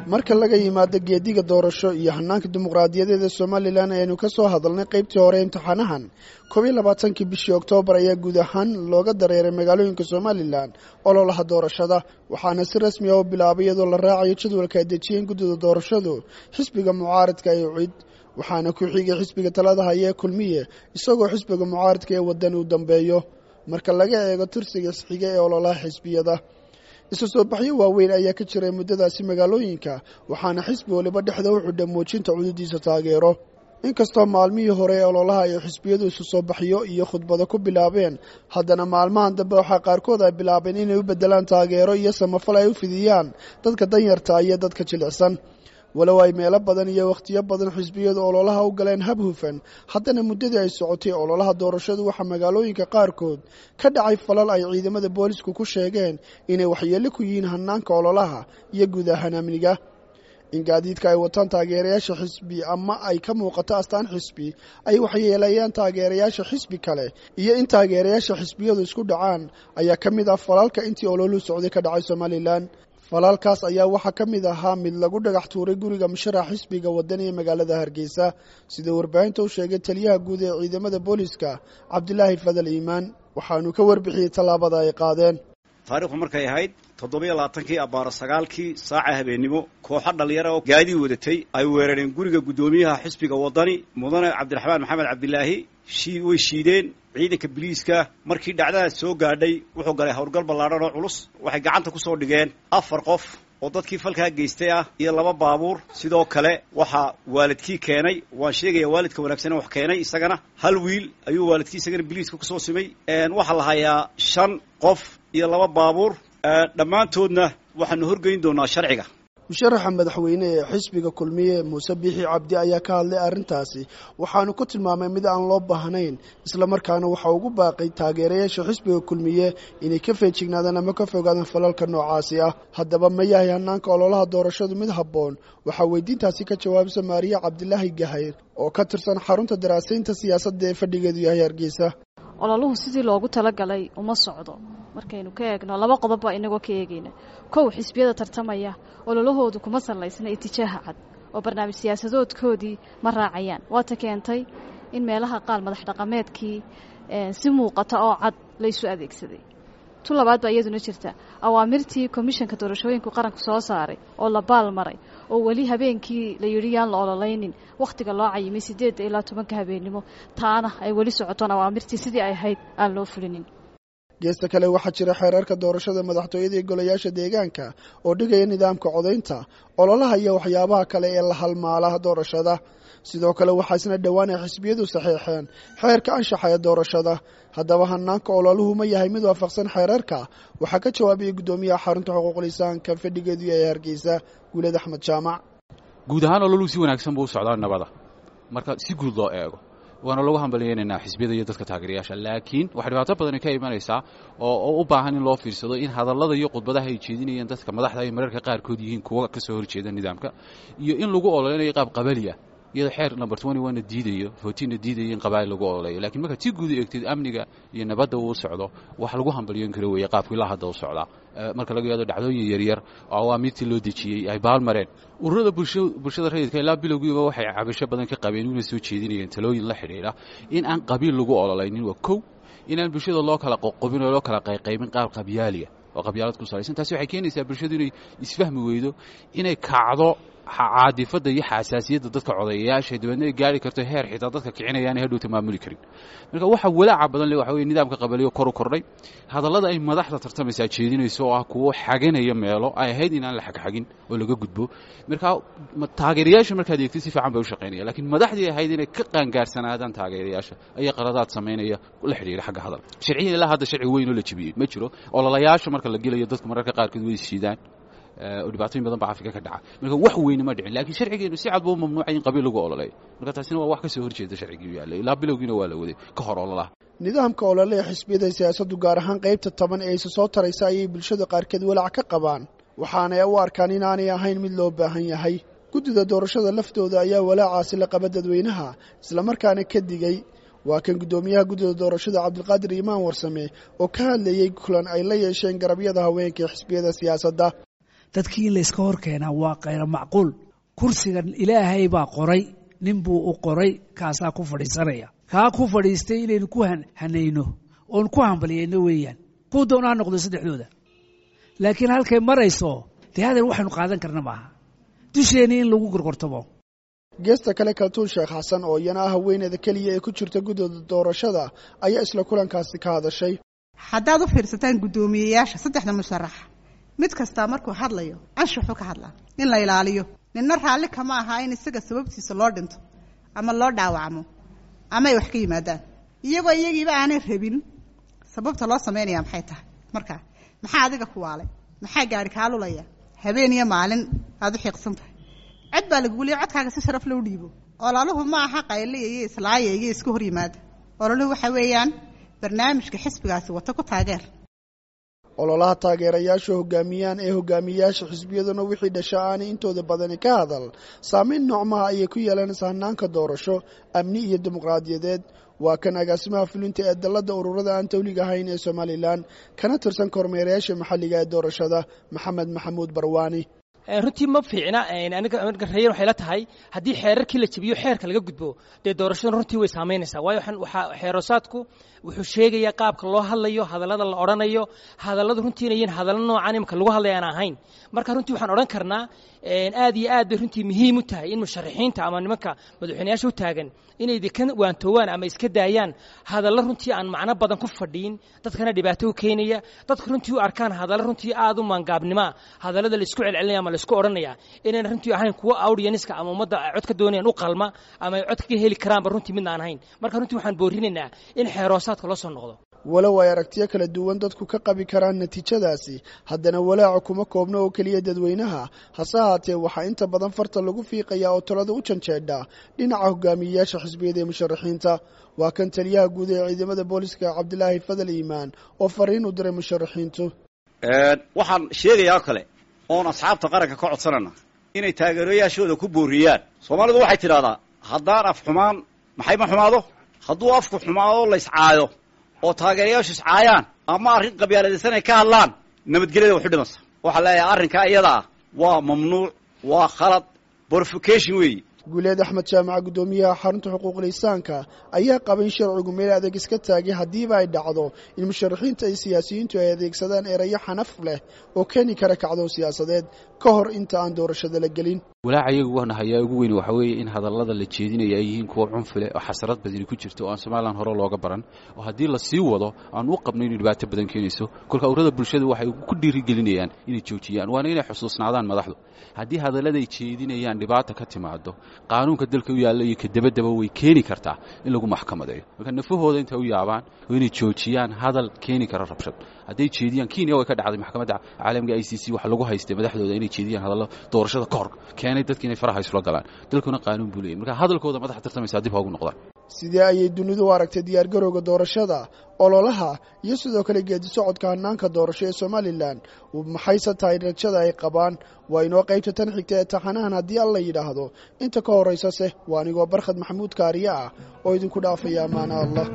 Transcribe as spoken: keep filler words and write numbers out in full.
Marka laga yimaado geediga doorasho iyo hanaanka dimuqraadiyadeed ee Somalilan aynu ka soo hadalnay qaybtii hore imtixaanahan, koob iyo labaatankii bishii Oktoobar ayaa guud ahaan looga dareeray magaalooyinka Somalilan ololaha doorashada, waxaana si rasmi ah u bilaabay iyadoo la raacayo jadwalka ay dejiyeen guddida doorashadu xisbiga mucaaradka ee U C I D, waxaana ku xigay xisbiga talada haya ee Kulmiye, isagoo xisbiga mucaaradka ee Wadani u dambeeyo marka laga eego tirsiga isxiga ee ololaha xisbiyada. Isu soo baxyo waaweyn ayaa ka jiray muddadaasi magaalooyinka, waxaana xisbi waliba dhexda u xidhay muujinta cududiisa taageero. Inkastoo maalmihii hore ee ololaha ay xisbiyadu isu soo baxyo iyo khudbado ku bilaabeen, haddana maalmahan dambe waxaa qaarkood ay bilaabeen inay u beddelaan taageero iyo samafal ay u fidiyaan dadka danyarta iyo dadka jilicsan. Walow ay meelo badan iyo wakhtiyo badan xisbiyadu ololaha u galeen hab hufan, haddana muddadii ay socotay ololaha doorashadu waxaa magaalooyinka qaarkood ka dhacay falal ay ciidamada boolisku ku sheegeen inay waxyeello ku yihiin hanaanka ololaha iyo guud ahaan amniga. In gaadiidka ay wataan taageerayaasha xisbi ama ay ka muuqato astaan xisbi ay waxyeelayaan taageerayaasha xisbi kale iyo in taageerayaasha xisbiyadu isku dhacaan ayaa ka mid ah falalka intii ololuhu socday ka dhacay Somalilan. Falaalkaas ayaa waxaa ka mid ahaa mid lagu dhagax tuuray guriga musharax xisbiga Wadani ee magaalada Hargeysa, sida warbaahinta u sheegay taliyaha guud ee ciidamada booliska Cabdilaahi Fadal Iimaan. Waxaanu ka warbixiyey tallaabada ay qaadeen. Taariikhdu markay ahayd toddobiyo labaatankii abbaaro sagaalkii saaca habeennimo, kooxo dhallinyara oo gaadiid wadatay ay weerareen guriga guddoomiyaha xisbiga Wadani, mudane Cabdiraxmaan Maxamed Cabdilaahi. Shii way shiideen ciidanka biliiska. Markii dhacdadaas soo gaadhay wuxuu galay howlgal ballaadhan oo culus. Waxay gacanta ku soo dhigeen afar qof oo dadkii falkaa geystay ah iyo laba baabuur. Sidoo kale waxaa waalidkii keenay, waan sheegayaa waalidka wanaagsan wax keenay, isagana hal wiil ayuu waalidkii isagana biliiska kusoo simay. Waxaa la hayaa shan qof iyo laba baabuur, dhammaantoodna waxaanu horgeyn doonaa sharciga. Musharaxa madaxweyne ee xisbiga Kulmiye Muuse Biixi Cabdi ayaa ka hadlay arrintaasi, waxaanu ku tilmaamay mid aan loo baahnayn, islamarkaana waxa ugu baaqay taageerayaasha xisbiga Kulmiye inay ka feejignaadaan ama ka fogaadaan falalka noocaasi ah. Haddaba ma yahay hanaanka ololaha doorashadu mid habboon? Waxaa weydiintaasi ka jawaabisa Maariya Cabdilaahi Gahayr oo ka tirsan xarunta daraasaynta siyaasadda ee fadhigeedu yahay Hargeysa. Ololuhu sidii loogu talagalay uma socdo markaynu ka eegno laba qodob baa inagoo ka eegayna. Kow, xisbiyada tartamaya ololahoodu kuma salaysna itijaaha cad oo barnaamij siyaasadoodkoodii ma raacayaan. Waata keentay in meelaha qaar madax dhaqameedkii si muuqata oo cad la isu adeegsaday. Tu labaad baa iyaduna jirta, awaamirtii komishanka doorashooyinku qaranku soo saaray oo la baal maray, oo weli habeenkii la yidhi yaan la ololaynin wakhtiga loo cayimay sideedda ilaa tobanka habeennimo, taana ay weli socotoon awaamirtii sidii ay ahayd aan loo fulinin. Geesta kale waxaa jira xeerarka doorashada madaxtooyada iyo golayaasha deegaanka oo dhigaya nidaamka codaynta, ololaha iyo waxyaabaha kale ee la halmaala doorashada. Sidoo kale waxaa isna dhowaan ay xisbiyadu saxeexeen xeerka anshaxa ee doorashada. Haddaba hanaanka ololuhu ma yahay mid waafaqsan xeerarka? Waxaa ka jawaabayay guddoomiyaha xarunta xuquuqul insaanka fadhigeedu yahay Hargeysa, Guuled Axmed Jaamac. Guud ahaan ololuhu si wanaagsan buu u socdaa nabada marka si guud loo eego, waana lagu hambalyaynaynaa xisbiyada iyo dadka taageerayaasha. Laakiin waxaa dhibaato badani ka imanaysaa oo u baahan in loo fiirsado in hadallada iyo khudbadaha ay jeedinayaan dadka madaxda ay mararka qaarkood yihiin kuwa ka soo horjeeda nidaamka, iyo in lagu ololeynayo qaab qabaliya, iyadoo xeer number twenty one na diidayo, fourteen na diidayo in qabaa'il lagu ololeeyo. Lakiin markaad si guud u eegtid amniga iyo nabadda uu socdo, wax lagu hambalyoon karo weeye qaabku ilaa hadda u socdaa, marka laga yaado dhacdooyin yaryar oo awaamiirtii loo dejiyey ay baalmareen. Ururada bulshada rayidka ilaa bilowgiiba waxay cabasho badan ka qabeen una soo jeedinayeen talooyin la xidhiidha in aan qabiil lagu ololaynin, waa kow, inaan bulshada loo kala qoqobin oo loo kala qayqaybin qaab qabyaaliya oo qabyaalad ku salaysan. Taasi waxay keenaysaa bulshadu inay isfahmi weydo, inay kacdo caadifadda iyo xasaasiyadda dadka codayayaasha, dabeedna ay gaari karto heer xitaa dadka kicinayaan hadhowta maamuli karin. Marka waxa walaaca badan le waxa weye nidaamka qabaliyo kor u kordhay, hadallada ay madaxda tartamaysaa jeedinayso oo ah kuwo xaganaya meelo ay ahayd inaan la xagxagin oo laga gudbo. Marka taageerayaasha markaad eegtid si fiican bay u shaqaynaya, lakiin madaxdii ahayd inay ka qaangaarsanaadaan taageerayaasha ayaa qaladaad samaynaya la xidhiira xagga hadal. Sharciyan ilaa hadda sharci weyn oo la jebiyey ma jiro. Ololayaasha marka la gelayo dadku mararka qaarkood way ishiidaan oo dhibaatooyin badan baa Afrika ka dhaca, marka wax weyne ma dhicin. Laakiin sharcigeenu si cad buu u mamnuucay in qabiil lagu ololeeyo, marka taasina waa wax ka soo horjeeda sharcigii yaallay ilaa bilowgiina waa la waday ka hor ololaha. Nidaamka olole ee xisbiyada siyaasaddu, gaar ahaan qaybta toban ee isa soo taraysa, ayay bulshada qaarkeed walaac ka qabaan, waxaanay u arkaan inaanay ahayn mid loo baahan yahay. Guddida doorashada laftooda ayaa walaacaasi la qaba dadweynaha, islamarkaana ka digay. Waa kan guddoomiyaha guddida doorashada Cabdilqaadir Iimaan Warsame oo ka hadlayey kulan ay la yeesheen garabyada haweenka ee xisbiyada siyaasadda. Dadkii in la iska hor keenaa waa khayra macquul. Kursigan Ilaahay baa qoray, nin buu u qoray, kaasaa ku fadhiisanaya. Kaa ku fadhiistay inaynu ku hanayno oon ku hambaliyayno weeyaan, kuu doona ha noqdo saddexdooda. Laakiin halkay marayso dee hadeer waxaynu qaadan karna maaha dusheennii in lagu gorgortamo. Geesta kale, Kaltuun Sheekh Xasan oo iyana ah haweeneyda keliya ee ku jirta guddooda doorashada ayaa isla kulankaasi ka hadashay. Haddaad u fiirsataan guddoomiyeyaasha saddexda musharax, mid kastaa markuu hadlayo anshuxuu ka hadlaa in la ilaaliyo. Ninna raalli kama aha in isaga sababtiisa loo dhinto ama loo dhaawacmo ama ay wax ka yimaadaan, iyagoo iyagiiba aanay rabin. Sababta loo samaynaya maxay tahay? Markaa maxaa adiga ku waalay? Maxaa gaari kaa lulaya habeen iyo maalin aada u xiiqsan tahay? Cod baa lagugu leeyay, codkaaga si sharaf loo dhiibo. Ololuhu ma aha qayliya iyo islaaya iyo isku hor yimaada. Ololuhu waxa weeyaan barnaamijka xisbigaasi wato ku taageer. Ololaha taageerayaashu hogaamiyaan ee hogaamiyayaasha xisbiyaduna wixii dhasha aanay intooda badani ka hadal, saameyn noocmaha ayay ku yeelanaysa hanaanka doorasho, amni iyo dimuqraadiyadeed? Waa kan agaasimaha fulinta ee dalladda ururada aan tawliga ahayn ee Somalilan, kana tirsan kormeerayaasha maxalliga ee doorashada, Maxamed Maxamuud Barwaani. Runtii ma fiicna. Aniga reer waxay la tahay haddii xeerarkii la jebiyo, xeerka laga gudbo, dee doorashadan runtii way saamaynaysaa. Waayo waxaa xeerosaadku wuxuu sheegayaa qaabka loo hadlayo, hadallada la odhanayo, hadalladu runtii inay yihiin hadallo noocan imika lagu hadlaya aan ahayn. Marka runtii waxaan odhan karnaa aad iyo aad bay runtii muhiim u tahay in musharaxiinta ama nimanka madaxweynayaasha u taagan inay ka waantoowaan ama iska daayaan hadallo runtii aan macno badan ku fadhiin, dadkana dhibaato u keenaya, dadka runtii u arkaan hadallo runtii aad u maangaabnimoa, hadallada la isku celcelinaya ama la isku odhanaya inayna runtii ahayn kuwo audience-ka ama ummadda ay cod ka doonayaan u qalma ama ay cod kaga heli karaanba runtii midna aan ahayn. Marka runtii waxaan boorinaynaa in xeeroosaadka loo soo noqdo. Walow ay aragtiyo kala duwan dadku ka qabi karaan natiijadaasi, haddana walaaca kuma koobno oo keliya dadweynaha. Hase ahaatee, waxaa inta badan farta lagu fiiqayaa oo talada u janjeedha dhinaca hogaamiyeyaasha xisbiyada ee musharaxiinta. Waa kan taliyaha guud ee ciidamada booliska, Cabdilaahi Fadal Iimaan, oo fariin u diray musharaxiintu. Waxaan sheegayaa kale oon asxaabta qaranka ka codsanana inay taageerayaashooda ku booriyaan. Soomaalidu waxay tidhahdaa, haddaan af xumaan maxay ma xumaado. Hadduu afku xumaado, la iscaayo oo taageerayaashu iscaayaan ama arrin qabyaaladaysan ay ka hadlaan, nabadgelyada waxu dhimansa. Waxaa leeyahay arrinkaa iyada ah waa mamnuuc, waa khalad, provocation weeyi. Guuleed Axmed Jaamaca, guddoomiyaha xarunta xuquuqul insaanka, ayaa qaba in sharcigu meel adeeg iska taagay haddiiba ay dhacdo in musharaxiinta iyo siyaasiyiintu ay adeegsadaan erayo xanaf leh oo keeni kara kacdoon siyaasadeed ka hor inta aan doorashada la gelin. Walaaca iyagu waana hayaa ugu weyn waxa weeye in hadallada la jeedinaya ay yihiin kuwo cunfile oo xasarad badani ku jirto oo aan Somalilan hore looga baran, oo haddii la sii wado aan u qabno inay dhibaato badan keenayso. Kolka ururada bulshada waxay ku dhiirigelinayaan inay joojiyaan, waana inay xusuusnaadaan madaxdu haddii hadalladay jeedinayaan dhibaata ka timaado, qaanuunka dalka u yaalla iyo kadabadaba way keeni kartaa in lagu maxkamadeeyo. Marka nafahooda intay u yaabaan oo inay joojiyaan hadal keeni kara rabshad hadday jeediyaan. Kenya way ka dhacday, maxkamadda caalamiga I C C waxa lagu haystay madaxdooda inay jeediyaan hadallo doorashada ka hor keenay dadki inay faraha isula galaan. Dalkuna qaanuun buu leeyahy, marka hadalkooda madaxa tartamaysaa dib ha ugu noqdaan. Sidee ayay dunidu u aragtay diyaargarowga doorashada, ololaha iyo sidoo kale geedi socodka hanaanka doorasho ee Somalilan? Maxayse tahay rajada ay qabaan? Waa inoo qaybta tan xigta ee taxanahan haddii Alla yidhaahdo. Inta ka horraysase waa anigoo Barkhad Maxamuud Kaariye ah oo idinku dhaafaya amaana Allah.